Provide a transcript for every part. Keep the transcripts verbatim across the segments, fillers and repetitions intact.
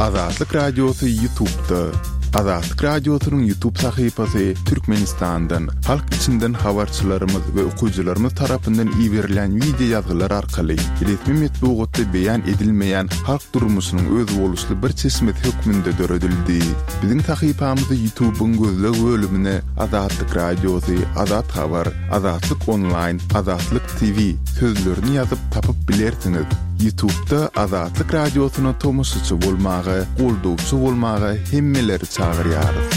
Azatlyk Radiosy YouTube'da. Azatlyk Radiosynyň YouTube sahypasy Türkmenistandan, halk içinden habarçylarymyz we okyjylarymyz tarapyndan iberilen wideo ýazgylar arkaly resmi metbugatda beýan edilmeýän halk durmuşynyň özboluşly bir çeşmesi hökmünde döredildi. Biziň sahypamyzy YouTube'yň gözleg bölümine Azatlyk Radiosy, Azat Habar, Azatlyk Online, Azatlyk T V sözlerini ýazyp tapyp bilersiňiz. YouTube'da Azatlyk Radiosyna tomaşaçy bolmaga, goldawçy bolmaga hemmeleri çagyrýarys.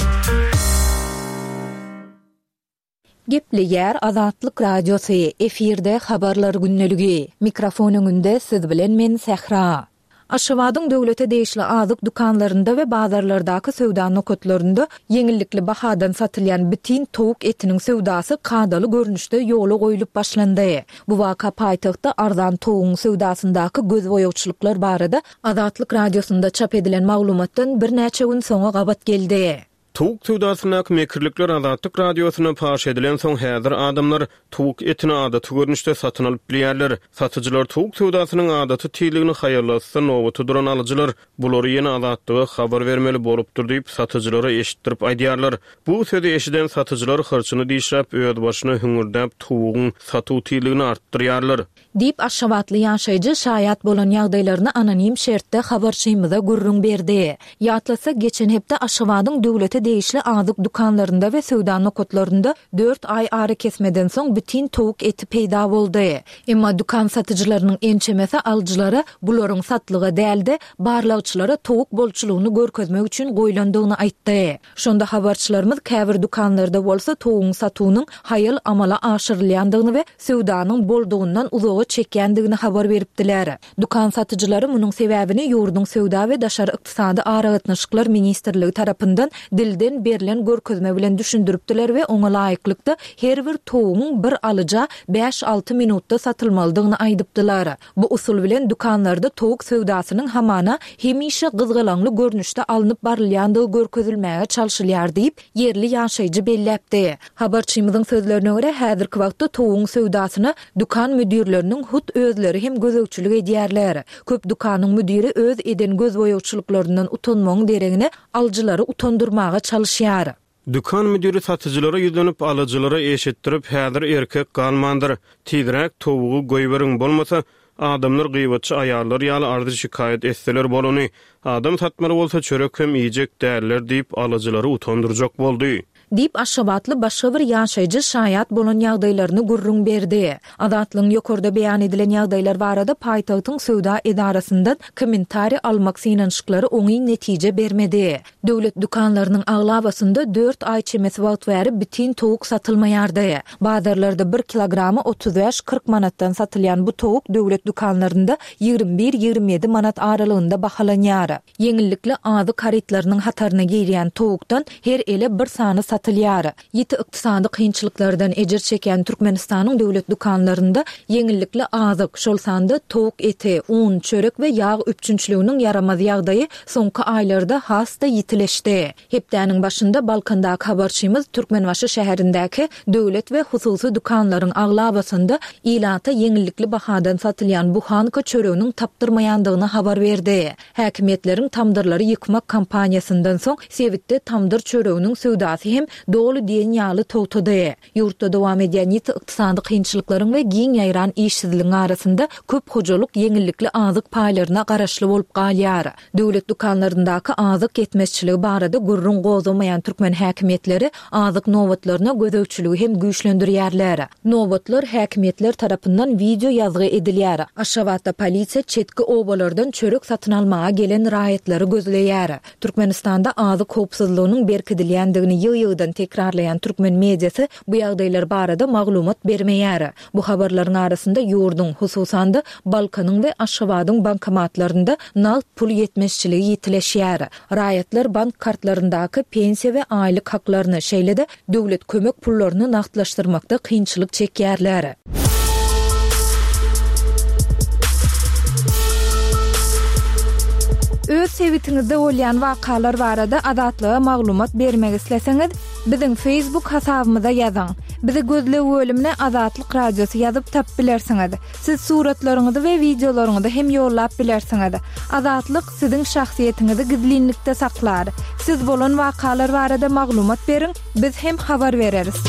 Gepleýär Azatlyk Radiosy, efirde habarlar gündeligi. Mikrofon öňünde siz bilen men Sähra. Aşgabadyň döwlete degişli azyk dükanlarynda we bazarlardaky söwda nokatlarynda ýeňillikli bahadan satylýan bitin towuk etiniň söwdasy kadaly görnüşde ýola goýlup başlandy. Bu waka paýtagtda arzan towugyň söwdasyndaky gözboýagçylyklar barada Azatlyk Radiosynda çap edilen maglumatdan birnäçe gün soňa gabat geldi. Towuk söwdasyndaky mekirlikler Azatlyk Radiosyna paş edilen soň häzir adamlar towuk etini adaty görnüşde satyn alyp bilýärler. Satyjylar towuk söwdasynyň adaty tizligini haýallatsa nobata duran alyjylar bulary ýene Azatlyga habar bermeli bolupdyr diýip satyjylara eşitdirip aýdýarlar. Bu sözi eşiden satyjylar hyrçyny dişläp öz başyna hüňürdäp towugyň satuw tizligini artdyrýarlar. Diýip Aşgabatly ýaşaýjy şaýat bolan ýagdaýlaryny anonim şertde habarçymyza gürrüň berdi. Ýatlatsak, geçen hepde Aşgabadyň döwlete degişli azyk dükanlarynda we söwda nokatlarynda dört aý ara kesmeden soň bitin towuk eti peýda boldy. Emma dükan satyjylarynyň ençemesi alyjylara bularyň satlyga däldi, barlagçylara towuk bolçulygyny görkezmek üçin goýlandygyny aýtdy. Şonda habarçylarymyz käbir dükanlarda bolsa towugyň satuwynyň haýal amala aşyrylýandygyny we söwdanyň boldugyndan uzaga çekýändigini habar beripdiler. Dükan satyjylary munuň sebäbini ýurduň söwda we daşary ykdysady aragatnaşyklar ministrligi tarapyndan dilden berlen görkezme bilen düşündiripdiler we oňa laýyklykda her bir towugyň bir alyja bäş-alty minutda satylmalydygyny aýdypdylar. Bu usul bilen dükanlarda towuk söwdasynyň hamana hemişe gyzgalaňly görnüşde alnyp barylýandygy görkezilmäge çalşylýar diýip, ýerli ýaşaýjy belläpdi. Habarçymyzyň sözlerine görä, häzirki wagtda towugyň söwdasyna dükan müdirleriniň hut özleri hem gözegçilik edýärler. Köp dükanyň müdiri öz eden gözboýagçylyklaryndan utanmagyň deregine alyjylary utandyrmaga çalyşýar. Dükan müdiri satyjylara ýüzlenip, alyjylara eşitdirip, häzir erkek galmandyr. Tizräk towugy goýberiň, bolmasa adamlar gyýbatçy aýallar ýaly arzy şikaýat etseler bolany, adam satmaly bolsa çörek hem iýjek däller diýip alyjylary utandyrjak boldy. Diýip Aşgabatly başga bir ýaşaýjy şaýat bolan ýagdaýlaryny gürrüň berdi. Azatlygyň ýokarda beýan edilen ýagdaýlar barada paýtagtyň söwda edarasyndan kommentariý almak synanyşyklary oňyn netije bermedi. Döwlet dükanlarynyň aglabasynda dört aý çemesi wagt bäri bitin towuk satylmaýardy. Bazarlarda bir kilogramy otuz bäş kyrk manatdan satylýan bu towuk döwlet dükanlarynda ýigrimi bir ýigrimi ýedi manat aralygynda bahalanýar. Ýeňillikli azyk harytlarynyň hataryna girýän towukdan her ele bir sany satylýar. Ýiti ykdysady kynçylyklardan ejir çekýän Türkmenistanyň döwlet dükanlarynda ýeňillikli azyk, şol sanda towuk eti, un, çörek we ýag üpjünçiliginiň ýaramaz ýagdaýy soňky aýlarda has-da ýitileşdi. Hepdäniň başynda Balkandaky habarçymyz Türkmenbaşy şäherindäki döwlet we hususy dükanlaryň aglabasynda ilata ýeňillikli bahadan satylýan buhanka çöreginiň tapdyrmaýandygyny habar berdi. Häkimiýetleriň tamdyrlary ýykmak kampaniýasyndan soň sebitde tamdyr çöreginiň söwdasy hem doly diýen ýaly togtady. Ýurtda dowam edýän ýiti ykdysady kynçylyklaryň we giň ýaýran işsizligiň arasynda köp hojalyk ýeňillikli azyk paýlaryna garaşly bolup galýar. Döwlet dükanlaryndaky azyk ýetmezçiligi barada gürrüň gozgamaýan türkmen häkimiýetleri azyk nobatlaryna gözegçiligi hem güýçlendirýärler. Nobatlar häkimiýetler tarapyndan wideo ýazgy edilýär. Aşgabatda polisiýa çetki obalardan çörek satyn almaga gelen raýatlary gözleýär. Türkmenistanda azyk howpsuzlygynyň berkidilýändigini ýygy-ýygydan tekrarlaýan türkmen mediasy bu ýagdaýlar barada maglumat bermeýär. Bu habarlaryň arasynda ýurduň, hususan-da Balkanyň we Aşgabadyň bankomatlarynda nagt pul ýetmezçiligi ýitileşýär. Raýatlar bank kartlaryndaky pensiýa we aýlyk haklaryny, şeýle-de döwlet kömek pullaryny nagtlaşdyrmakda kynçylyk çekýärler. Öz sebitiňizde bolýan wakalar barada Azatlyga maglumat bermek isleseňiz, biziň Facebook hasabymyza ýazyň. Bizi gözleg bölümine Azatlyk Radiosy ýazyp tapyp bilersiňiz. Siz suratlaryňyzy we wideolaryňyzy hem ýollap bilersiňiz. Azatlyk siziň şahsyýetiňizi gizlinlikde saklar. Siz bolan wakalar barada maglumat beriň, biz hem habar bereris.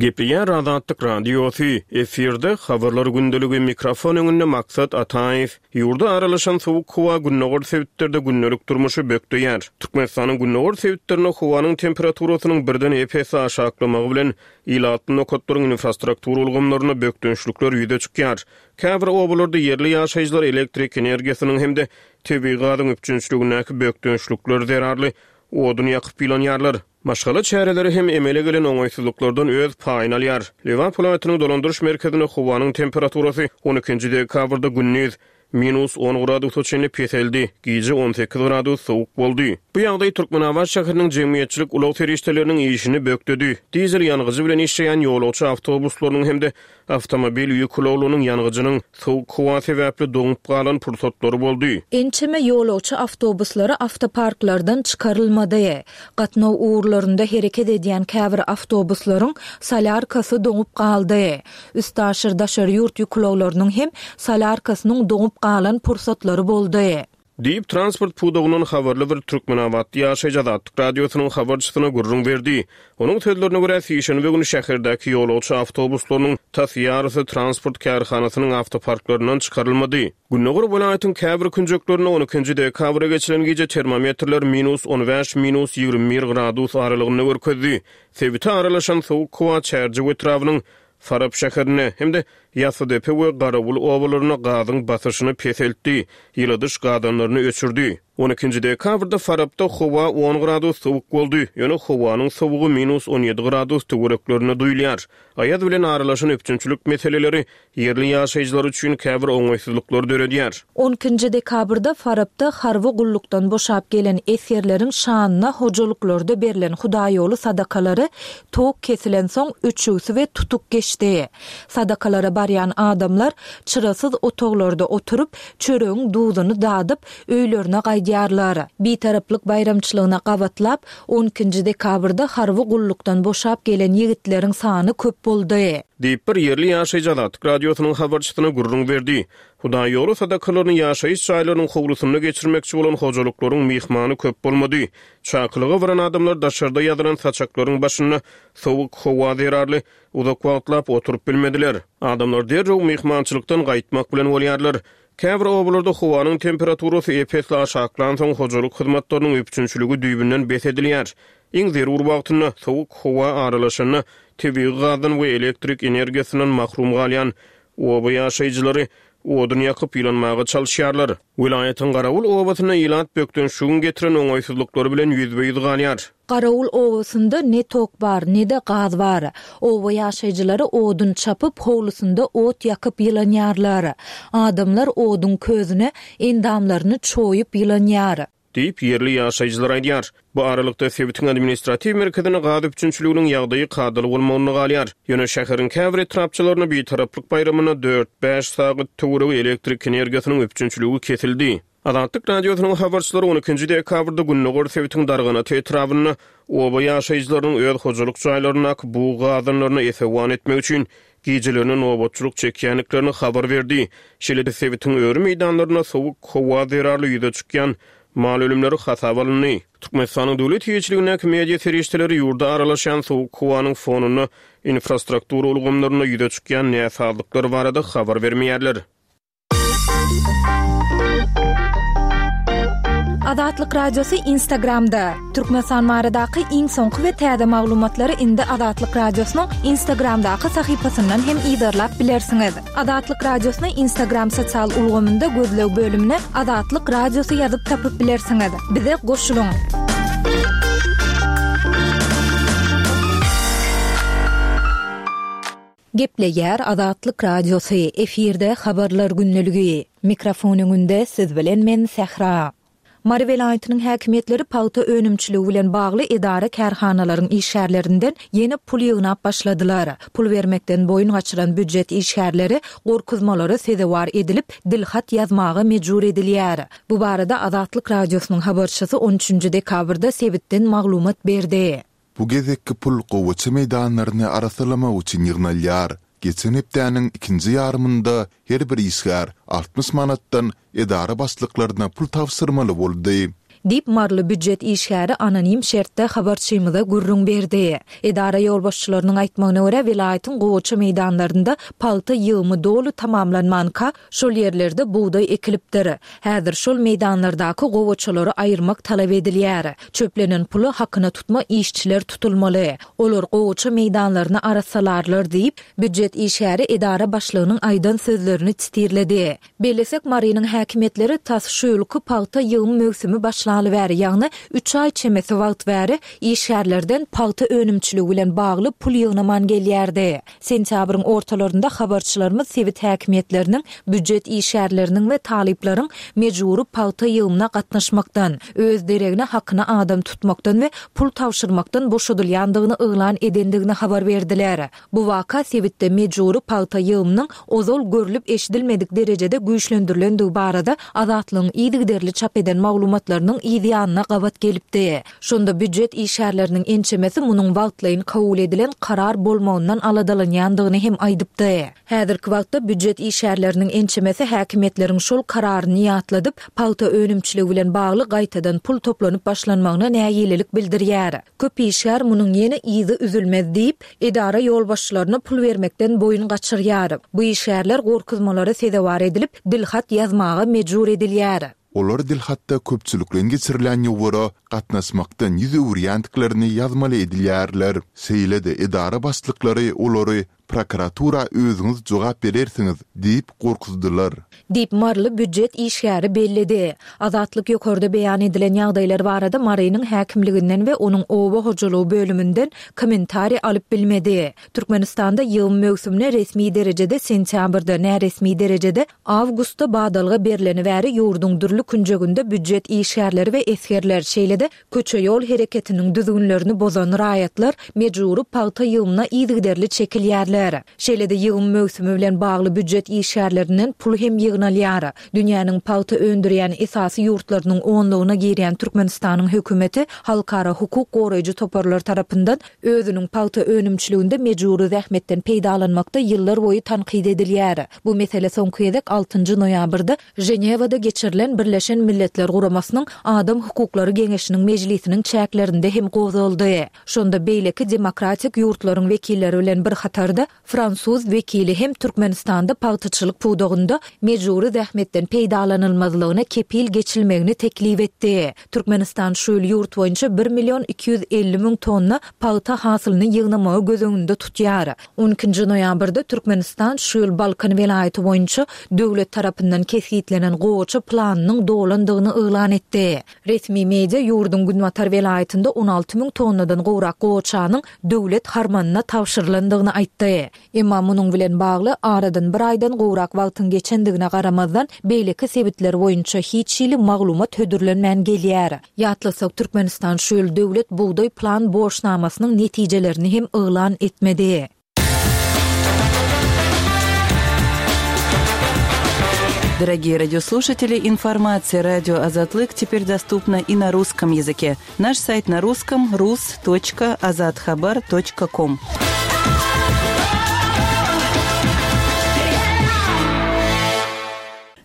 Gepleýär Azatlyk Radiosy, efirde Habarlar gündeligi, mikrofon öňünde Maksat Ataýew. Ýurda aralaşan sowuk howa gündogar sebitlerde gündelik durmuşy bökdeýär. Türkmenistanyň gündogar sebitlerinde howanyň temperaturasynyň birden ep-esli aşaklamagy bilen ilatly nokatlaryň infrastruktura ulgamlarynda bökdençlikler ýüze çykýar. Käbir obalarda ýerli ýaşaýjylar elektrik energiýasynyň hem-de tebigy gazyň üpjünçiligindäki bökdençlikler zerarly odun ýakyp ýylanýarlar. Maşgala çäreleri hem emele gelen oňaýsyzlyklardan öz paýyny alýar. Lebap welaýatynyň dolandyryş merkezinde howanyň temperaturasy on ikinji dekabrda gündiz minus on gradusa çenli peseldi, gije on sekiz gradus sowuk boldy. Bu ýagdaý Türkmenabat şäheriniň jemgyýetçilik ulag serişdeleriniň işini bökdedi. Dizel ýangyjy bilen işleýän ýolagçy awtobuslarynyň hem-de awtomobil ýük ulaglarynyň ýangyjynyň sowuk howa sebäpli doňup galan pursatlary boldy. Ençeme ýolagçy awtobuslary awtoparklardan çykarylmady. Gatnaw ugurlarynda hereket edýän käbir awtobuslaryň solýarkasy doňup galdy. Üstaşyr daşary ýurt ýük ulaglarynyň hem solýarkasynyň doňup galan pursatlary boldy. Diýip, transport pudagyndan habarly bir Türkmenabatly ýaşaýjy Azatlyk Radiosynyň habarçysyna gürrüň berdi. Onuň sözlerine görä, sişenbe güni şäherdäki ýolagçy awtobuslarynyň tas ýarysy transport kärhanasynyň awtoparklaryndan çykarylmady. Gündogar welaýatyň käbir künjeklerinde on ikinji dekabra geçilen gije termometrler minus on bäş, minus ýigrimi bir gradus aralygynda görkezdi. Sebite aralaşan sowuk howa Çärjew etrabynyň Farap şäherinde hem-de Ýasydepe we Garawul obalarynda gazyň basyşyny peseltdi, ýyladyş gazanlaryny öçürdi. On ikinji dekabrda Farapda howa on gradus sowuk boldy, ýöne howanyň sowugy minus on ýedi gradus töwereklerinde duýulýar. Aýaz bilen aralaşan üpjünçilik meseleleri ýerli ýaşaýjylar üçin käbir oňaýsyzlyklar döredýär. On ikinji dekabrda Farapda harby gullukdan boşap gelen esgerleriň şanyna hojalyklarda berlen hudaýoly sadakalary tok kesilen soň öçügsi we tutuk geçdi. Sadakalara barýan adamlar çyrasyz otaglarda oturyp, çöregiň duzuny dadyp, öýlerine gaýdýarlar. Bitaraplyk baýramçylygyna gabatlap, on ikinji dekabrda harby gullukdan boşap gelen ýigitleriň sany köp boldy. Diýip bir ýerli ýaşaýjy Azatlyk Radiosynyň habarçysyna gürrüň berdi. Hudaýoly sadakalaryny ýaşaýyş jaýlarynyň howlusynda geçirmekçi bolan hojalyklaryň myhmany köp bolmady. Çakylyga baran adamlar daşarda ýazylan saçaklaryň başynda sowuk howa zerarly uzak wagtlap oturyp bilmediler. Adamlar derrew myhmançylykdan gaýtmak bilen bolýarlar. Käbir obalarda howanyň temperaturasy ep-esli aşaklan soň hojalyk hyzmatlarynyň üpjünçiligi düýbünden bes edilýär. Iň zerur wagtynda sowuk howa aralaşanda tebigy gazdan we elektrik energiýasyndan mahrum galýan oba ýaşaýjylary odun ýakyp ýylanmaga çalyşýarlar. Welaýatyň Garawul obasynda ilat bökdençligiň getiren oňaýsyzlyklary bilen ýüzbe-ýüz galýar. Garawul obasynda ne tok bar, ne de gaz bar. Oba ýaşaýjylary odun çapyp, howlusynda ot ýakyp ýylanýarlar. Adamlar odun közüne endamlaryny çoýup ýylanýar. Diýip ýerli ýaşaýjylar aýdýar. Bu aralykda sebitiň administratiw merkezine gaz üpjünçiliginiň ýagdaýy kadaly bolmagyna galýar. Ýöne şäheriň käbir etrapçalaryna Bitaraplyk baýramyna dört-bäş sagat töweregi elektrik energiýasynyň üpjünçiligi kesildi. Azatlyk Radiosynyň habarçylary on ikinji dekabrda Gündogar sebitiň Darganata etrabynda oba ýaşaýjylarynyň öz hojalyk jaýlaryndaky bug gazanlaryna esewan etmek üçin gijelerine nobatçylyk çekýändiklerini habar berdi. Şeýle-de sebitiň öri meýdanlarynda sowuk howa zerarly ýüze çykýan mal ölümleri hasaba alyndy. Türkmenistanyň döwlet eýeçiligindäki media serişdeleri ýurda aralaşan sowuk howanyň fonunda infrastruktura ulgamlarynda ýüze çykýan näsazlyklar barada habar bermeýärler. Azatlyk Radiosy Instagramda. Türkmenistan baradaky iň soňky we täze maglumatlary indi Azatlyk Radiosynyň Instagramdaky sahypasyndan hem yzarlap bilersiňiz. Azatlyk Radiosyny Instagram sosial ulgamynda gözleg bölümine Azatlyk Radiosy ýazyp tapyp bilersiňiz. Bize goşulyň. Gepleýär Azatlyk Radiosy, efirde habarlar gündeligi. Mikrofon öňünde siz bilen men Sähra. Mary welaýatynyň häkimiýetleri pagta önümçiligi bilen bagly edara kärhanalaryň işgärlerinden ýene pul ýygnap başladylar. Pul bermekden boýun gaçyran býujet işgärleri gorkuzmalara sezewar edilip, dilhat ýazmaga mejbur edilýär. Bu barada Azatlyk Radiosynyň habarçysy on üçünji dekabrda sebitden maglumat berdi. Bu gezekki pul gowaça meýdanlaryny arassalamak üçin ýygnalýar. Geçen hepdäniň ikinji ýarymynda her bir işgär altmyş manatdan edara başlyklaryna pul tabşyrmaly boldy. Diýip, maryly býujet işgäri anonim şertde habarçymyza gürrüň berdi. Edara ýolbaşçylarynyň aýtmagyna görä, welaýatyň gowaça meýdanlarynda pagta ýygymy doly tamamlanmanka, şol ýerlerde bugdaý ekilipdir. Häzir şol meýdanlardaky gowaçalary aýyrmak talap edilýär. Çöplenen pula hakyna tutma işçiler tutulmaly. Olar gowaça meýdanlaryny arassalarlar diýip, býujet işgäri edara başlygynyň aýdan sözlerini titirledi. Bellesek, Marynyň häkimiýetleri tas şu ýylky pagta ýygym möwsümi başlaly bäri, ýagny üç aý çemesi wagt bäri işgärlerden pagta önümçiligi bilen bagly pul ýygnaman gelýärdi. Sentýabryň ortalarynda habarçylarymyz sebit häkimiýetleriniň býujet işgärleriniň we talyplaryň mejbury pagta ýygymyna gatnaşmakdan, öz deregine hakyna adam tutmakdan we pul tabşyrmakdan boşadylýandygyny yglan edendigini habar berdiler. Bu waka sebitde mejbury pagta ýygymynyň ozal görlüp-eşidilmedik derejede güýçlendirilendigi barada Azatlygyň yzygiderli çap eden maglumatlarynyň yz ýanyna gabat gelipdi. Şonda býujet işgärleriniň ençemesi munuň wagtlaýyn kabul edilen karar bolmagyndan aladalanýandygyny hem aýdypdy. Häzirki wagtda býujet işgärleriniň ençemesi häkimiýetleriň şol kararyny ýatladyp, pagta önümçiligi bilen bagly gaýtadan pul toplanyp başlanmagyna nägilelik bildirýär. Köp işgär munuň ýene yzy üzülmez diýip, edara ýolbaşçylaryna pul bermekden boýun gaçyrýar. Bu işgärler gorkuzmalara sezewar edilip, dilhat ýazmaga mejbur edilýär. Olar dilhatda köpçülikleýin geçirilýän ýowara gatnaşmakdan ýüz öwürýändiklerini ýazmaly edilýärler. Şeýle-de edara başlyklary olary Prokuratura özüňiz jogap berersiňiz diýip gorkuzdylar. Diýip, maryly býujet işgäri belledi. Azatlyk ýokarda beýan edilen ýagdaýlar barada Marynyň häkimliginden we onuň oba hojalygy bölüminden kommentariý alyp bilmedi. Türkmenistanda ýygym möwsümine resmi derejede sentýabrda, näresmi derejede awgustda badalga berleni bäri ýurduň dürli künjeginde býujet işgärleri we esgerler, şeýle-de Köçe-ýol hereketiniň düzgünlerini bozan raýatlar mejbury pagta ýygymyna yzygiderli çekilýärler. Şeýle-de ýygym möwsümi bilen bagly býujet işgärlerinden pul hem ýygnalýar. Dünýäniň pagta öndürýän esasy ýurtlarynyň onlugyna girýän Türkmenistanyň hökümeti halkara hukuk goraýjy toparlar tarapyndan özüniň pagta önümçiliginde mejbury zähmetden peýdalanmakda ýyllarboýy tankyt edilýär. Bu mesele soňky gezek altynjy noýabrda Ženewada geçirilen Birleşen Milletler Guramasynyň Adam hukuklary geňeşiniň mejlisiniň çäklerinde hem gozgaldy. Şonda beýleki demokratik ýurtlaryň wekilleri bilen bir hatarda fransuz wekili hem Türkmenistanda pagtaçylyk pudagynda mejbury zähmetden peýdalanylmazlygyna kepil geçilmegini teklip etdi. Türkmenistan şu ýyl ýurt boýunça bir million iki ýüz elli müň tonna pagta hasylyny ýygnamagy göz öňünde tutýar. On ikinji noýabrda Türkmenistan şu ýyl Balkan welaýaty boýunça döwlet tarapyndan kesgitlenen gowaça planynyň dolandygyny yglan etdi. Resmi media ýurduň günbatar welaýatynda on alty müň tonnadan gowrak gowaçanyň döwlet harmanyna tabşyrylandygyny aýtdy. Emma munuň bilen bagly, aradan bir aýdan gowrak wagtyň geçendigine garamazdan, beýleki sebitler boýunça hiç hili maglumat hödürlenmän gelýär. Ýatlasak, Türkmenistan şu ýyl döwlet bugdaý plan borçnamasynyň netijelerini hem yglan etmedi. Дорогие радиослушатели, информация радио Азатлык теперь доступна и на русском языке. Наш сайт на русском rus точка azathabar точка ком.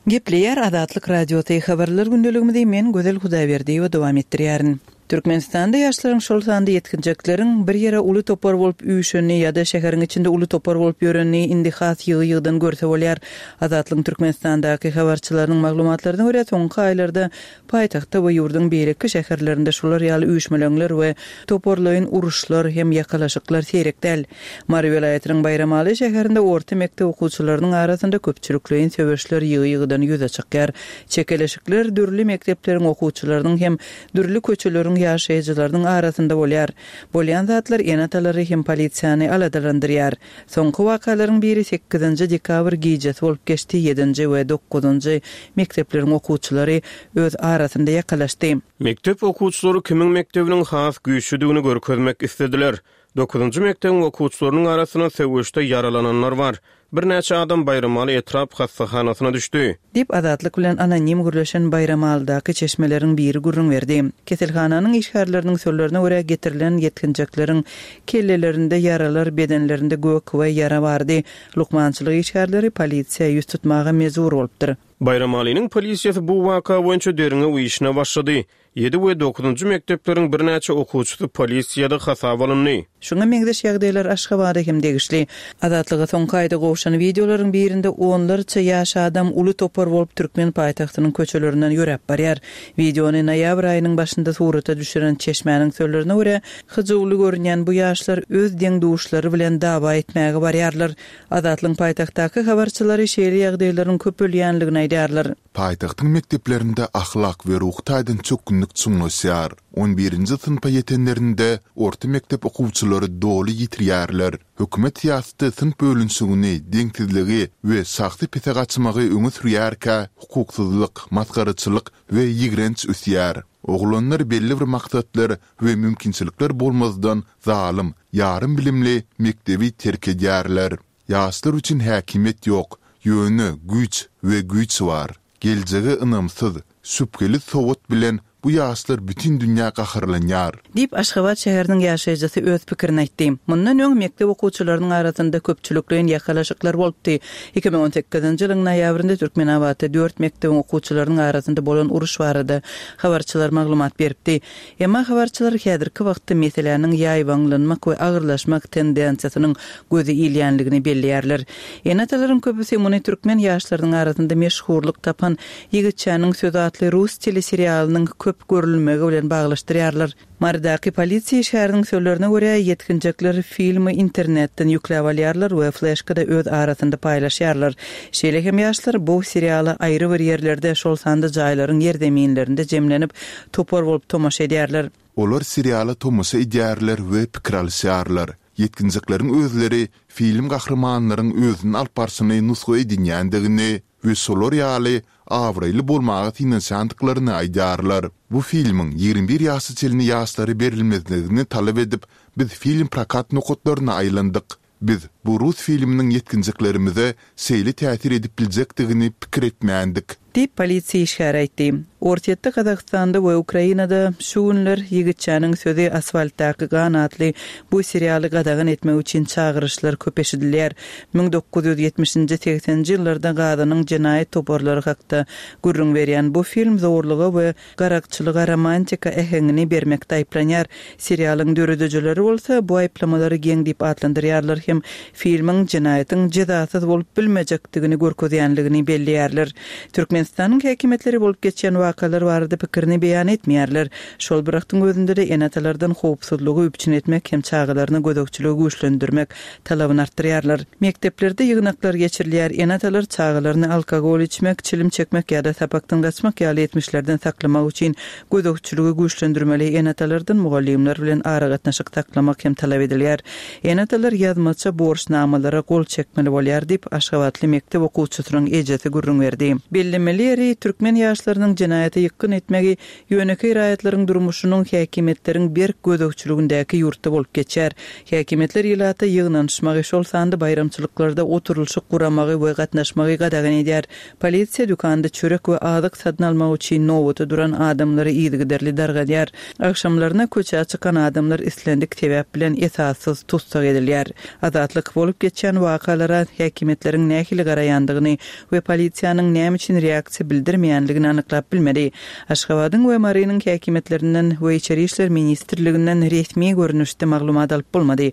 Gepleýär Azatlyk Radiosy habarlar gündeligimizi men Gözel Hudaýberdiýewa dowam etdirýärin. Türkmenistanda ýaşlaryň şol sanda ýetginjekleriň bir ýere uly topar bolup üýşenini ýa-da şäheriň içinde uly topar bolup ýörenini indi has ýygy-ýygydan görse bolýar. Azatlygyň Türkmenistandaky habarçylarynyň maglumatlaryna görä, soňky aýlarda paýtagtda we ýurduň beýleki şäherlerinde şular ýaly üýşmeleňler we toparlaýyn uruşlar hem ýakalaşyklar seýrek däl. Mary welaýatynyň Baýramaly şäherinde orta mekdep okuwçylarynyň arasynda köpçülikleýin söweşler ýygy-ýygydan ýüze çykýar. Çekeleşikler dürli mekdepleriň okuwçylarynyň hem dürli köçeleriň ýaşaýjylarynyň arasynda bolýar. Bolýan zatlar ene-atalary hem polisiýany aladalandyrýar. Soňky wakalaryň biri sekizinji dekabr gijesi bolup geçdi, ýedinji we dokuzynjy mekdepleriň okuwçylary öz arasynda ýakalaşdy. Mekdep okuwçylary kimiň mekdebiniň has güýçlüdigini görkezmek islediler. Dokuzunjy mekdebiň okuwçylarynyň arasynda söweşde ýaralananlar bar. Birnäçe adam Baýramaly etrap hassahanasyna düşdi. Diýip, Azatlyk bilen anonim gürleşen Baýramalydaky çeşmeleriň biri gürrüň berdi. Keselhananyň işgärleriniň sözlerine görä, getirilen ýetginjekleriň kellelerinde ýaralar, bedenlerinde gök we ýara bardy. Lukmançylyk işgärleri polisiýa ýüz tutmaga mejbur bolupdyr. Baýramalynyň polisiýasy bu waka boýunça derňew işine başlady. Ýedi we dokuzynjy mekdepleriň birnäçe okuwçysy polisiýada hasaba alyndy. Şuňa meňzeş ýagdaýlar Aşgabada hem degişli. Azatlyga soňky aýda gowşan wideolaryň birinde onlarça ýaş adam uly topar bolup türkmen paýtagtynyň köçelerinden ýöräp barýar. Wideony noýabr aýynyň başynda surata düşüren çeşmäniň sözlerine görä, hyjuwly görünýän bu ýaşlar öz deň-duşlary bilen dawa etmäge barýarlar. Azatlygyň paýtagtdaky habarçylary şeýle ýagdaýlaryň köpelýänligini aýdýarlar. Paýtagtyň mekdeplerinde ahlak we ruhy taýdan çökgünlik çuňlaşýar. On birinji synpa ýetenlerinde orta mekdep okuwçylary doly ýitirýärler. Hökümet syýasaty synp bölünişigini, deňsizligi we şahsy pese gaçmagy öňe sürýärkä, hukuksyzlyk, masgaraçylyk we ýigrenç ösýär. Oglanlar belli bir maksatlar we mümkinçilikler bolmazdan zalym, ýarym bilimli mekdebi terk edýärler. Ýaşlar üçin häkimiýet ýok, ýöne güýç we güýç bar. Geljege ynamsyz, şübheli sowat bilen bu ýaşlar bütin dünýä gaharlanýar. Diýip, Aşgabat şäheriniň ýaşaýjysy öz pikirini aýtdy. Mundan öň mekdep okuwçylarynyň arasynda köpçülikleýin ýakalaşyklar bolupdy. Iki müň on sekizinji ýylyň noýabrynda Türkmenabatda dört mekdebiň okuwçylarynyň arasynda bolan uruş barada habarçylar maglumat beripdi. Emma habarçylar häzirki wagtda meseläniň ýaýbaňlanmak we agyrlaşmak tendensiýasynyň gözi ilýänligini belleýärler. Ene-atalaryň köpüsi muny türkmen ýaşlarynyň arasynda meşhurlyk tapan Ýigitçäniň sözi atly rus teleserialynyň köp görülmegi bilen baglaşdyrýarlar. Marydaky polisiýa işgäriniň sözlerine görä, ýetginjekler filmi internetden ýükläp alýarlar we fleşkada öz arasynda paýlaşýarlar. Şeýle hem ýaşlar bu seriala aýry bir ýerlerde, şol sanda jaýlaryň ýerzeminlerinde jemlenip, topar bolup tomaşa edýärler. Olar seriala tomaşa edýärler we pikir alyşýarlar. Ýetginjekleriň özleri film gahrymanlaryň özüni alyp barşyny nusga edinýändigini we şolar ýaly abraýly bolmaga synanyşandyklaryny aýdýarlar. Bu filmiň ýigrimi bir ýaşa çenli ýaşlara berilmezligini talap edip, biz film prokat nokatlaryna aýlandyk. Biz bu rus filminiň ýetginjeklerimize şeýle täsir edip biljekdigini pikir etmändik. Diýip, polisiýa işgäri aýtdy. Orsýetde, Gazagystanda we Ukrainada şu günler Ýigitçäniň sözi asfaltdaky gan atly bu serialy gadagan etmek üçin çagyryşlar köp eşidilýär. Müň dokuz ýüz ýetmişinji, segseninji ýyllarda Gazanyň jenaýat toparlary hakda gürrüň berýän bu film zorluga we garakçylyga romantika äheňini bermekde aýyplanýar. Serialyň döredijileri bolsa bu aýyplamalary geň diýip atlandyrýarlar hem filmiň jenaýatyň jezasyz bolup bilmejekdigini görkezýänligini belleýärler. Türkmenistanyň häkimiýetleri bolup geçýän wakalar barada pikirini beýan etmeýärler. Şol bir wagtyň özünde-de ene-atalardan howpsuzlygy üpjün etmek hem çagalaryna gözegçiligi güýçlendirmek talabyny artdyrýarlar. Mekdeplerde ýygnaklar geçirilýär, ene-atalar çagalaryny alkogol içmek, çilim çekmek ýa-da sapakdan gaçmak ýaly etmişlerden saklamak üçin gözegçiligi güýçlendirmeli ene-atalardan mugallymlar bilen aragatnaşyk saklamak hem talap edilýär. Ene-atalar ýazmaça borçnamalara gol çekmeli bolýar diýip, Aşgabatly mekdep okuwçysynyň ejesi gürrüň berdi. Bellemeli ýeri, türkmen ýaşlarynyň jenaýata ýykgyn etmegi ýönekeý raýatlaryň durmuşynyň häkimiýetleriň berk gözegçiligindäki ýurtda bolup geçýär. Häkimiýetler ilata ýygnanyşmagy, şol sanda baýramçylyklarda oturylyşyk guramagy we gatnaşmagy gadagan edýär. Polisiýa dükanda çörek we azyk satyn almak üçin nobata duran adamlary yzygiderli dargadýar. Agşamlaryna köçä çykan adamlar islendik sebäp bilen esassyz tussag edilýär. Azatlyk bolup geçýän wakalara häkimiýetleriň nähili garaýandygyny we polisiýanyň näme üçin reaksiýa bildirmeýänligini anyklap bilmedi. Aşgabadyň we Marynyň häkimiýetlerinden we Içeri işler ministrliginden resmi görnüşde maglumat alyp bolmady.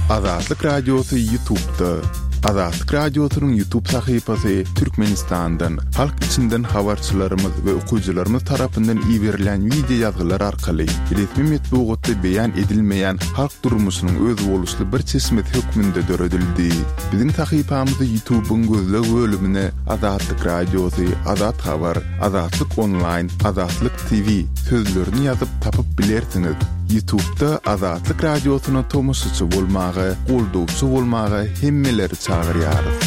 Azatlyk Radiosy YouTube'da. Azatlyk Radiosynyň YouTube sahypasy Türkmenistandan, halk içinden habarçylarymyz we okyjylarymyz tarapyndan iberilen wideo ýazgylar arkaly resmi metbugatda beýan edilmeýän halk durmuşynyň özboluşly bir çeşmesi hökmünde döredildi. Biziň sahypamyzy YouTube'yň gözleg bölümine Azatlyk Radiosy, Azat Habar, Azatlyk Online, Azatlyk T V sözlerini ýazyp tapyp bilersiňiz. YouTube'da Azatlyk Radiosyna tomaşaçy bolmaga, goldawçy bolmaga hemmeleri çagyrýarys.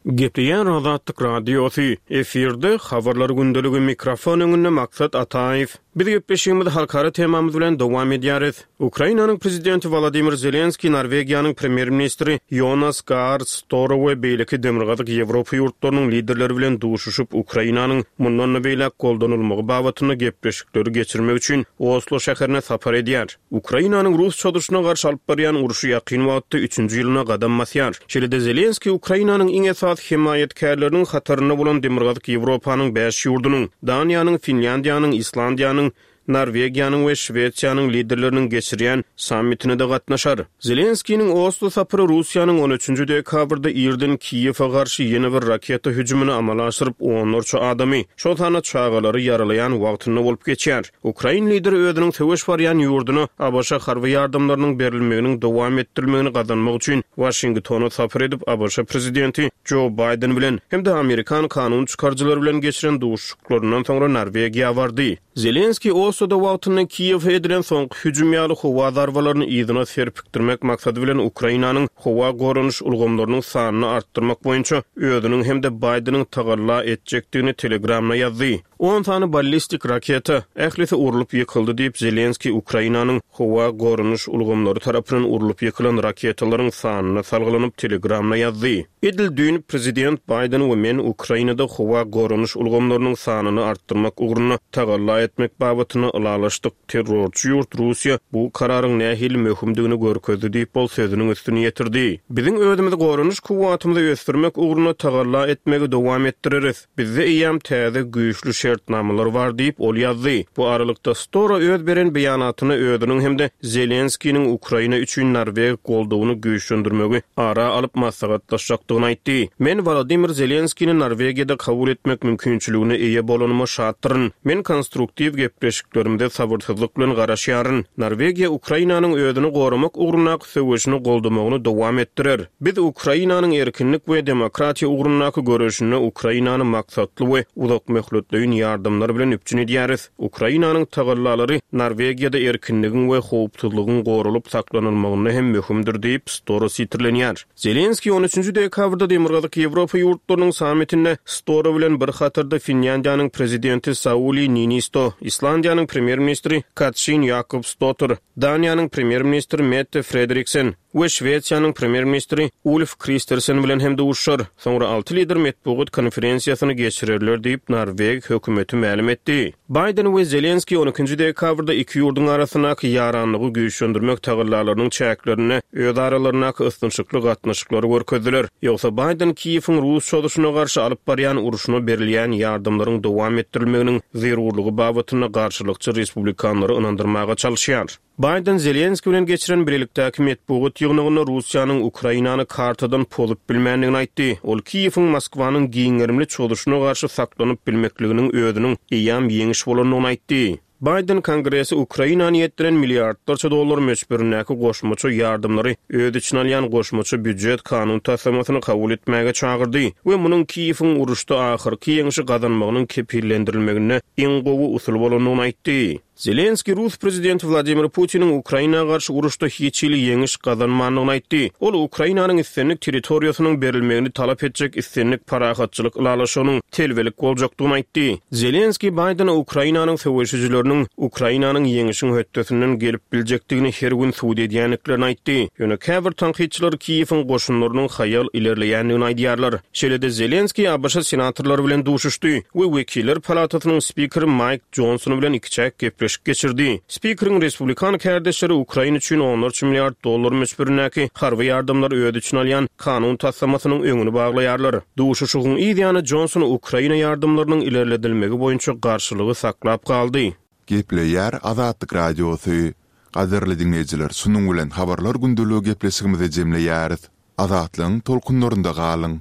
Gepleýär Azatlyk Radiosy, efirde Habarlar gündeligi, mikrofon öňünde Maksat Ataýew. Biz gepleşigimizi halkara temamyz bilen dowam edýäris. Ukrainanyň Prezidenti Wolodymyr Zelenskiý Norwegiýanyň Premýer-ministri Ýonas Gahr Store we beýleki Demirgazyk Ýewropa ýurtlarynyň liderleri bilen duşuşyp, Ukrainanyň mundan-da beýläk goldanylmagy babatynda gepleşikleri geçirmek üçin Oslo şäherine sapar edýär. Ukrainanyň rus çozuşyna garşy alyp barýan urşy ýakyn wagtda üçünji ýylyna gadam basýar. Şeýle-de Zelenskiý Ukrainanyň iň esasy hemaýatkärleriniň hatarynda bolan Demirgazyk Ýewropanyň bäş ýurdunyň, Daniýanyň, Finlýandiýanyň, Islandiýanyň, Norwegiýanyň we Şwesiýanyň liderleriniň geçirýän sammitine-de gatnaşar. Zelenskiniň Oslo sapary Russiýanyň on üçünji dekabrda irden Kiýewe garşy ýene bir raketa hüjümini amala aşyryp, onlarça adamy, şol sanda çagalary ýaralaýan wagtynda bolup geçýär. Ukrain lideri özüniň söweş barýan ýurduna ABŞ harby ýardamlarynyň berilmeginiň dowam etdirilmegini gazanmak üçin Waşingtona sapar edip, ABŞ prezidenti Jo Baýden bilen hem-de amerikan kanun çykaryjylary bilen geçiren duşuşyklaryndan soňra Norwegiýa bardy. Zelenskiý Osloda wagtynda Kiýewe edilen soňky hüjüm ýaly howa zarbalaryny yzyna serpikdirmek maksady bilen Ukrainanyň howa goranyş ulgamlarynyň sanyny artdyrmak boýunça özüniň hem-de Baýdeniň tagalla etjekdigini Telegramda ýazdy. On sany ballistik raketa, ählisi urlup ýykyldy diýip, Zelenskiý Ukrainanyň howa goranyş ulgamlary tarapyndan urlup ýykylan raketalaryň sanyna salgylanyp Telegramda ýazdy. Edil düýn prezident Baýden we men Ukrainada howa goranyş ulgamlarynyň sanyny artdyrmak ugrunda tagalla etmek babatynda ylalaşdyk. Terrorçy ýurt Russiýa bu kararyň nähili möhümdigini görkezdi diýip, ol sözüniň üstüni ýetirdi. Biziň özümizi goranyş kuwwatymyzy ösdürmek ugrunda tagalla etmegi dowam etdireris. Bizde eýýäm täze güýçli şertnamalar bar diýip, ol ýazdy. Bu aralykda Stora öz beren beýanatynda özüniň hem-de Zelenskiniň Ukraina üçin norweg goldawyny güýçlendirmegi ara alyp maslahatlaşjakdygyny aýtdy. Men Wolodymyr Zelenskini Norwegiýada kabul etmek mümkinçiligine eýe bolanyma şatdyryn. Men konstruktiw gepleşiklerimize sabyrsyzlyk bilen garaşýaryn. Norwegiýa Ukrainanyň özüni goramak ugrundaky söweşini goldamagyny dowam etdirer. Biz Ukrainanyň erkinlik we demokratiýa ugrundaky göreşinde Ukrainany maksatly we uzakmöhletleýin ýardamlar bilen üpjün edýäris. Ukrainanyň tagallalary Norwegiýada erkinligiň we howpsuzlygyň goralyp saklanylmagynda hem möhümdir diýip, Store sitirlenýär. Zelenskiý on üçünji dekabrda Demirgazyk Ýewropa ýurtlarynyň sammitinde Store bilen bir hatarda Finlýandiýanyň prezidenti Sauli Niinisto, Islandiýanyň premýer-ministri Katrin Ýakobsdottir, Daniýanyň premýer-ministri Mette Frederiksen we Şwesiýanyň premýer-ministri Ulf Kristersen bilen hem duşuşar. Soňra alty lider metbugat konferensiýasyny geçirerler diýip, Norweg hökümeti mälim etdi. Baýden we Zelenskiý on ikinji dekabrda iki ýurduň arasyndaky ýaranlygy güýçlendirmek tagallalarynyň çäklerinde öz aralaryndaky ysnyşykly gatnaşyklary görkezdiler. Ýogsa Baýden Kiýewiň rus çozuşyna garşy alyp barýan urşuna berilýän ýardamlaryň dowam etdirilmeginiň zerurlygy babatynda garşylykçy respublikanlary ynandyrmaga çalyşýar. Baýden Zelenskiý bilen geçiren bilelikdäki metbugat ýygnagynda Russiýanyň Ukrainany kartadan pozup bilmändigini aýtdy. Ol Kiýewiň Moskwanyň giň gerimli çozuşyna garşy saklanyp bilmekliginiň özüniň eýýäm ýeňiş bolandygyny aýtdy. Baýden Kongresi Ukraina niýetlenen milliardlarça dollar möçberindäki goşmaça ýardamlary öz içine alýan goşmaça býujet kanun taslamasyny kabul etmäge çagyrdy we munuň Kiýewiň uruşda ahyrky ýeňşi gazanmagynyň kepillendirilmeginde iň gowy usul bolandygyny aýtdy. Zelenskiý rus prezidenti Wladimir Putiniň Ukraina garşy uruşda hiç hili ýeňiş gazanmandygyny aýtdy. Ol Ukrainanyň islendik territoriýasynyň berilmegini talap etjek islendik parahatçylyk ylalaşygynyň telbelik boljakdygyny aýtdy. Zelenskiý Baýdena Ukrainanyň söweşijileriniň Ukrainanyň ýeňişiň hötdesinden gelip biljekdigini her gün subut edýändiklerini aýtdy. Ýöne käbir tankytçylar Kiýewiň goşunlarynyň haýal ilerleýändigini aýdýarlar. Şeýle-de Zelenskiý ABŞ senatorlary bilen duşuşdy we Wekiller palatasynyň spikeri Maýk Jonson bilen ikiçäk gepleşik geçirdi. Spikeriň respublikan kärdeşleri Ukraina üçin onlarça milliard dollar möçberindäki harby ýardamlary öz içine alýan kanun taslamasynyň öňüni baglaýarlar. Duşuşygyň yz ýany Jonson Ukraina ýardamlarynyň ilerledilmegi boýunça garşylygy saklap galdy. Gepleýär Azatlyk Radiosy. Gadyrly diňleýjiler, şunuň bilen habarlar gündeligi gepleşigimizi jemleýäris. Azatlygyň tolkunlarynda galyň.